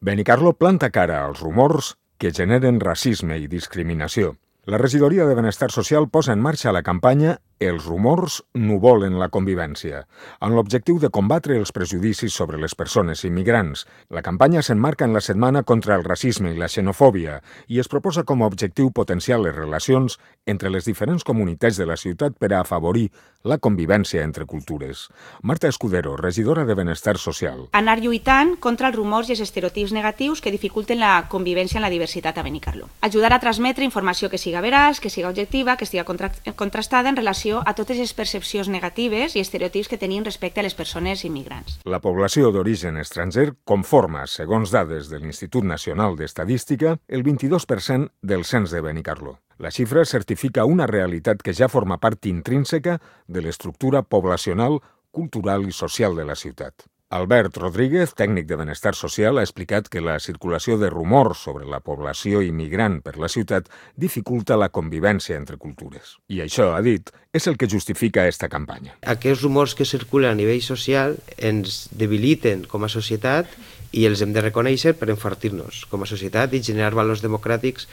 Benicarló planta cara als rumors que generen racisme i discriminació. La Regidoria de Benestar Social posa en marxa la campanya Els rumors no volen la convivència, amb l'objectiu de combatre els prejudicis sobre les persones immigrants. La campanya s'emmarca en la Setmana contra el racisme i la xenofòbia i es proposa com a objectiu potenciar les relacions entre les diferents comunitats de la ciutat per a afavorir la convivència entre cultures. Marta Escudero, regidora de Benestar Social. Anar lluitant contra els rumors i els estereotips negatius que dificulten la convivència en la diversitat a Benicarló. Ajudar a transmetre informació que siga veraç, que siga objectiva, que siga contrastada en relació a totes les percepcions negatives i estereotips que tenim respecte a les persones immigrants. La població d'origen estranger conforma, segons dades de l'Institut Nacional d'Estadística, el 22% del cens de Benicarló. La xifra certifica una realitat que ja forma part intrínseca de l'estructura poblacional, cultural i social de la ciutat. Albert Rodríguez, tècnic de Benestar Social, ha explicat que la circulació de rumors sobre la població immigrant per la ciutat dificulta la convivència entre cultures. I això, ha dit, és el que justifica aquesta campanya. Aquests rumors que circulen a nivell social ens debiliten com a societat i els hem de reconèixer per enfortir-nos com a societat i generar valors democràtics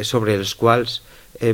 sobre els quals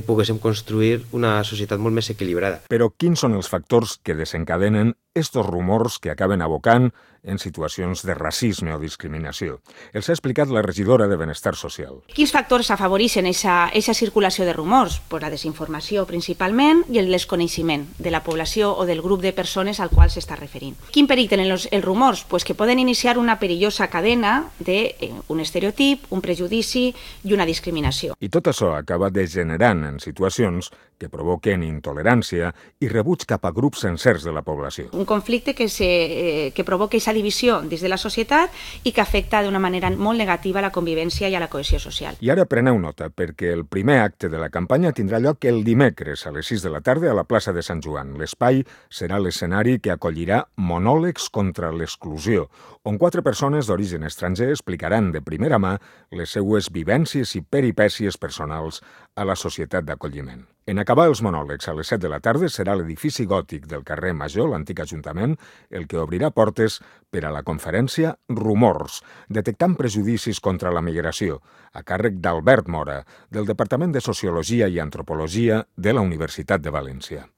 poguéssim construir una societat molt més equilibrada. Però quins són els factors que desencadenen estos rumors que acaben abocant en situacions de racisme o discriminació? Els ha explicat la regidora de Benestar Social. Quins factors afavoreixen aquesta circulació de rumors? Pues la desinformació principalment i el desconeixement de la població o del grup de persones al qual s'està referint. Quin perill tenen els rumors? Pues que poden iniciar una perillosa cadena d'un estereotip, un prejudici i una discriminació. I tot això acaba degenerant en situacions que provoquen intolerància i rebuig cap a grups sencers de la població. Un conflicte que provoca aquesta divisió dins de la societat i que afecta d'una manera molt negativa a la convivència i a la cohesió social. I ara preneu nota, perquè el primer acte de la campanya tindrà lloc el dimecres a les 6 de la tarda a la plaça de Sant Joan. L'espai serà l'escenari que acollirà monòlegs contra l'exclusió, on 4 persones d'origen estranger explicaran de primera mà les seues vivències i peripècies personals a la societat d'acolliment. En acabar els monòlegs a les 7 de la tarda serà l'edifici gòtic del carrer Major, l'antic Ajuntament, el que obrirà portes per a la conferència Rumors, detectant prejudicis contra la migració, a càrrec d'Albert Mora, del Departament de Sociologia i Antropologia de la Universitat de València.